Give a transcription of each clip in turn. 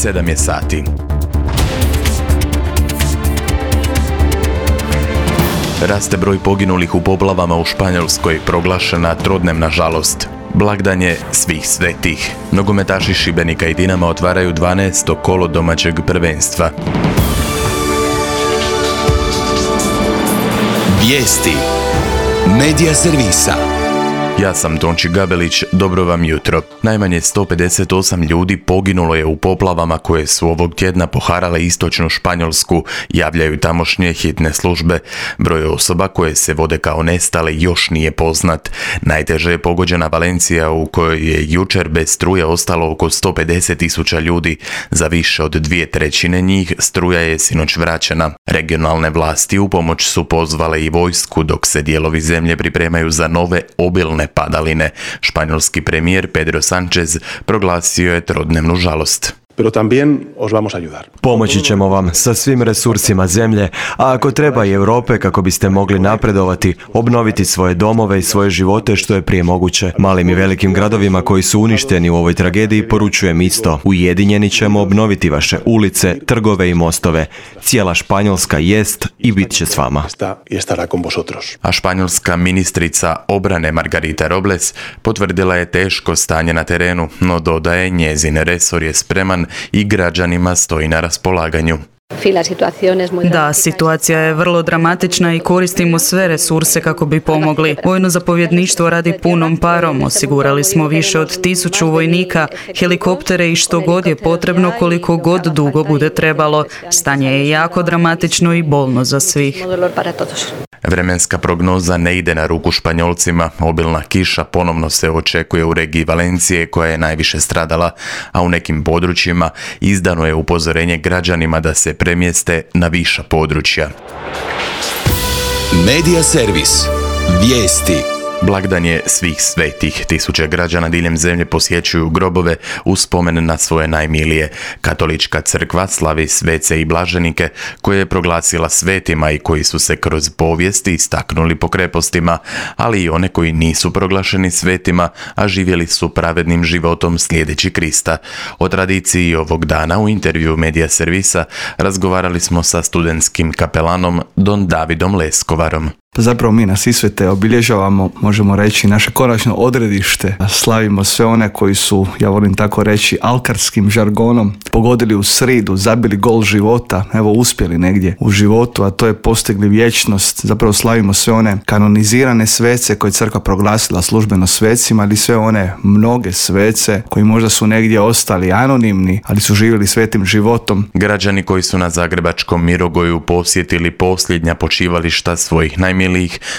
7 je sati. Raste broj poginulih u poplavama u Španjolskoj, proglašena trodnevna žalost. Blagdan je svih svetih. Nogometaši Šibenika i Dinama otvaraju 12. kolo domaćeg prvenstva. Vijesti Medija servisa. Ja sam Tonči Gabelić, dobro vam jutro. Najmanje 158 ljudi poginulo je u poplavama koje su ovog tjedna poharale istočnu Španjolsku, javljaju tamošnje hitne službe. Broj osoba koje se vode kao nestale još nije poznat. Najteže je pogođena Valencija u kojoj je jučer bez struje ostalo oko 150.000 ljudi. Za više od 2/3 njih struja je sinoć vraćena. Regionalne vlasti u pomoć su pozvale i vojsku dok se dijelovi zemlje pripremaju za nove obilne padaline. Španjolski premijer Pedro Sánchez proglasio je trodnevnu žalost. Pero también os vamos a ayudar. Pomoći ćemo vam sa svim resursima zemlje, a ako treba i Europe kako biste mogli napredovati, obnoviti svoje domove i svoje živote što je prije moguće. Malim i velikim gradovima koji su uništeni u ovoj tragediji poručujem isto. Ujedinjeni ćemo obnoviti vaše ulice, trgove i mostove. Cijela Španjolska jest i bit će s vama. A španjolska ministrica obrane Margarita Robles potvrdila je teško stanje na terenu, no dodaje njezin resor je spreman i građanima stoji na raspolaganju. Da, situacija je vrlo dramatična i koristimo sve resurse kako bi pomogli. Vojno zapovjedništvo radi punom parom, osigurali smo više od 1000 vojnika, helikoptere i što god je potrebno koliko god dugo bude trebalo. Stanje je jako dramatično i bolno za svih. Vremenska prognoza ne ide na ruku Španjolcima. Obilna kiša ponovno se očekuje u regiji Valencije koja je najviše stradala, a u nekim područjima izdano je upozorenje građanima da se premjeste na viša područja. Medija servis. Vijesti. Blagdan je svih svetih. Tisuće građana diljem zemlje posjećuju grobove u spomen na svoje najmilije. Katolička crkva slavi svece i blaženike koje je proglasila svetima i koji su se kroz povijesti istaknuli po krepostima, ali i one koji nisu proglašeni svetima, a živjeli su pravednim životom slijedeći Krista. O tradiciji ovog dana u intervju Medija servisa razgovarali smo sa studentskim kapelanom Don Davidom Leskovarom. Zapravo mi na Sisvete obilježavamo, možemo reći, naše konačno odredište. Slavimo sve one koji su, ja volim tako reći, alkarskim žargonom pogodili u sridu, zabili gol života, evo uspjeli negdje u životu, a to je postigli vječnost. Zapravo slavimo sve one kanonizirane svece koje je crkva proglasila službeno svecima, ali sve one mnoge svece koji možda su negdje ostali anonimni, ali su živjeli svetim životom. Građani koji su na zagrebačkom Mirogoju posjetili posljednja počivališta svojih najmilijih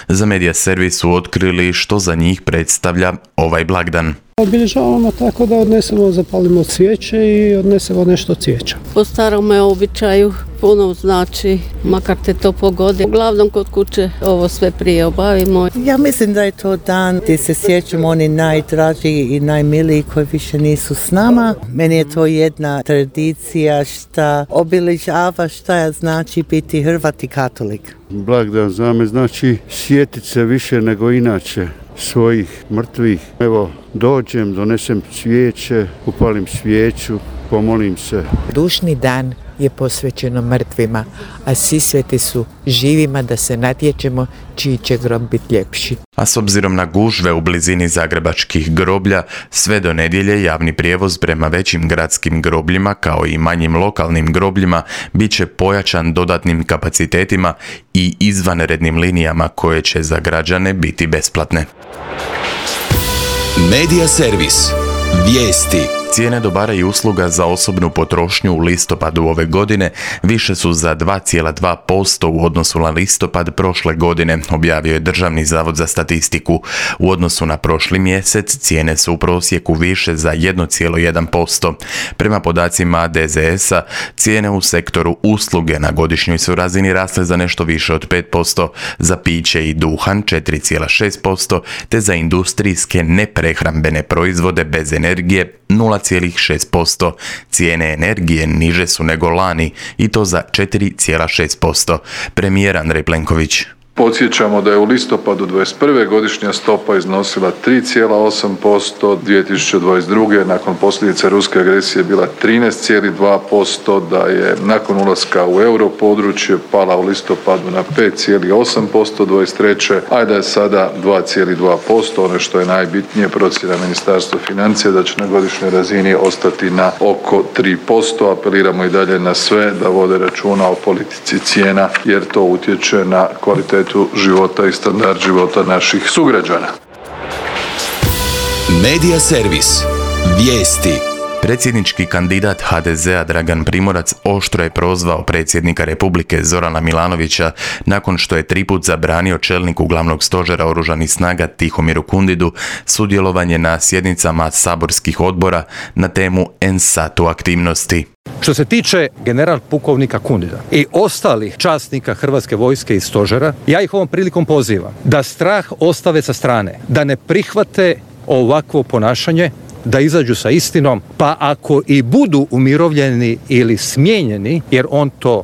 za Medija servis su otkrili što za njih predstavlja ovaj blagdan. Obilježavamo tako da zapalimo cvijeće i odnesemo nešto cvijeća. Po starome običaju puno znači, makar te to pogodi. Uglavnom kod kuće ovo sve prije obavimo. Ja mislim da je to dan gdje se sjećamo oni najdraži i najmiliji koji više nisu s nama. Meni je to jedna tradicija šta obilježava šta znači biti Hrvat i katolik. Blagdan za me znači sjetiti se više nego inače svojih mrtvih. Evo, dođem, donesem cvijeće, upalim svijeću, pomolim se. Dušni dan je posvećeno mrtvima, a Sisveti su živima da se natječemo čiji će grob biti ljepši. A s obzirom na gužve u blizini zagrebačkih groblja, sve do nedjelje javni prijevoz prema većim gradskim grobljima kao i manjim lokalnim grobljima bit će pojačan dodatnim kapacitetima i izvanrednim linijama koje će za građane biti besplatne. Medija servis. Vijesti. Cijene dobara i usluga za osobnu potrošnju u listopadu ove godine više su za 2,2% u odnosu na listopad prošle godine, objavio je Državni zavod za statistiku. U odnosu na prošli mjesec cijene su u prosjeku više za 1,1%. Prema podacima DZS-a, cijene u sektoru usluge na godišnjoj su razini rasle za nešto više od 5%, za piće i duhan 4,6%, te za industrijske neprehrambene proizvode bez energije 0,6%. Cijene energije niže su nego lani i to za 4,6%. Premijer Andrej Plenković. Podsjećamo da je u listopadu 2021. godišnja stopa iznosila 3,8%, 2022. nakon posljedica ruske agresije bila 13,2%, da je nakon ulaska u europodručje pala u listopadu na 5,8% 2023. a da je sada 2,2%. Ono što je najbitnije, procjena Ministarstva financija da će na godišnjoj razini ostati na oko 3%. Apeliramo i dalje na sve da vode računa o politici cijena jer to utječe na kvalitetu života i standard života naših sugrađana. Medija servis. Vijesti. Predsjednički kandidat HDZ-a Dragan Primorac oštro je prozvao predsjednika Republike Zorana Milanovića nakon što je 3 put zabranio čelniku glavnog stožera oružanih snaga Tihomiru Kundidu sudjelovanje na sjednicama saborskih odbora na temu NSATU aktivnosti. Što se tiče general pukovnika Kundida i ostalih časnika Hrvatske vojske i stožera, ja ih ovom prilikom pozivam da strah ostave sa strane, da ne prihvate ovakvo ponašanje, da izađu sa istinom, pa ako i budu umirovljeni ili smijenjeni, jer on to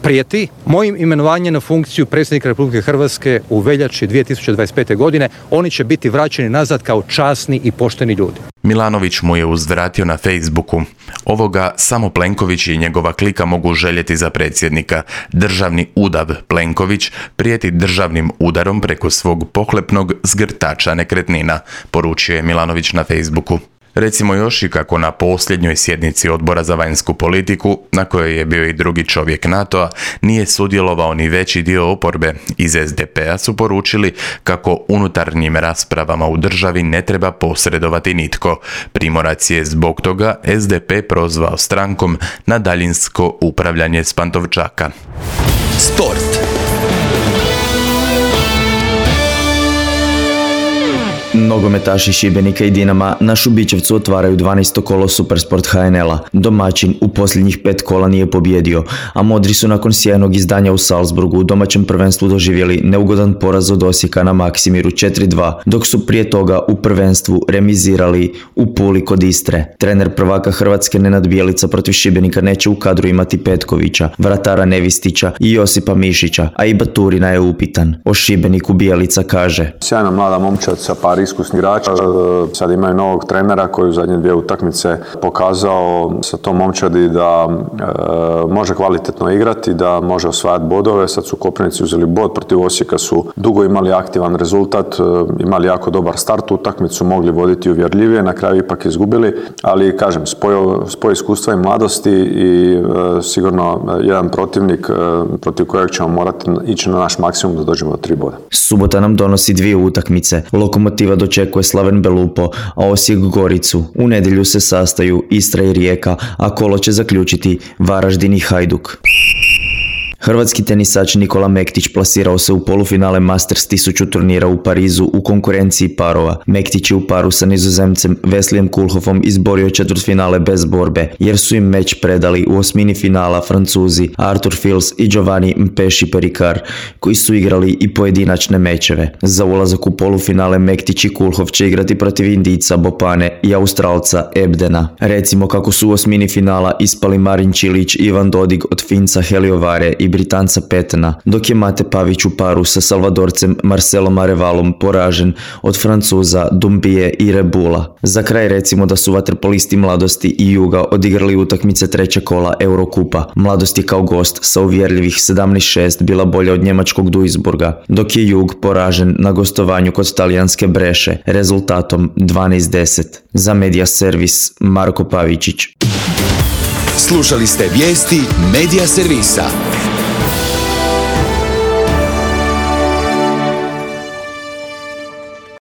prijeti, mojim imenovanjem na funkciju predsjednika Republike Hrvatske u veljači 2025. godine, oni će biti vraćeni nazad kao časni i pošteni ljudi. Milanović mu je uzvratio na Facebooku: ovoga samo Plenković i njegova klika mogu željeti za predsjednika. Državni udav Plenković prijeti državnim udarom preko svog pohlepnog zgrtača nekretnina, poručio je Milanović na Facebooku. Recimo još i kako na posljednjoj sjednici Odbora za vanjsku politiku, na kojoj je bio i drugi čovjek NATO-a, nije sudjelovao ni veći dio oporbe. Iz SDP-a su poručili kako unutarnjim raspravama u državi ne treba posredovati nitko. Primorac je zbog toga SDP prozvao strankom na daljinsko upravljanje s Pantovčaka. Sport. Nogometaši Šibenika i Dinama na Šubićevcu otvaraju 12. kolo Supersport HNL-a. Domaćin u posljednjih 5 kola nije pobjedio, a modri su nakon sjajnog izdanja u Salzburgu u domaćem prvenstvu doživjeli neugodan poraz od Osijeka na Maksimiru 4-2, dok su prije toga u prvenstvu remizirali u Puli kod Istre. Trener prvaka Hrvatske Nenad Bjelica protiv Šibenika neće u kadru imati Petkovića, vratara Nevistića i Josipa Mišića, a i Baturina je upitan. O Šibeniku Bjelica kaže: sjajna mlada momčad sa par iskusnih igrača. Sad imaju novog trenera koji u zadnje 2 utakmice pokazao sa tom momčadi da može kvalitetno igrati, da može osvajati bodove. Sad su Koprivnici uzeli bod, protiv Osijeka su dugo imali aktivan rezultat, imali jako dobar start u utakmicu, mogli voditi uvjerljivije, na kraju ipak izgubili, ali kažem, spoj iskustva i mladosti i sigurno jedan protivnik protiv kojeg ćemo morati ići na naš maksimum da dođemo do 3 boda. Subota nam donosi 2 utakmice. Lokomotiva dočekuje Slaven Belupo, a Osijek Goricu. U nedjelju se sastaju Istra i Rijeka, a kolo će zaključiti Varaždin i Hajduk. Hrvatski tenisač Nikola Mektić plasirao se u polufinale Masters 1000 turnira u Parizu u konkurenciji parova. Mektić je u paru sa Nizozemcem Veslijem Kulhofom izborio četvrtfinale bez borbe, jer su im meč predali u osmini finala Francuzi Arthur Fils i Giovanni Mpeši Perikar, koji su igrali i pojedinačne mečeve. Za ulazak u polufinale Mektić i Kulhof će igrati protiv Indijca Bopane i Australca Ebdena. Recimo kako su u osmini finala ispali Marin Čilić i Ivan Dodig od Finca Heliovare i Britanca Petena, dok je Mate Pavić u paru sa Salvadorcem Marcelom Arevalom poražen od Francuza Dumbije i Rebula. Za kraj recimo da su vaterpolisti Mladosti i Juga odigrali utakmice 3. kola Eurokupa. Mladost je kao gost sa uvjerljivih 17-6 bila bolja od njemačkog Duisburga, dok je Jug poražen na gostovanju kod talijanske Breše rezultatom 12-10. Za Medija servis Marko Pavičić. Slušali ste vijesti Medija servisa.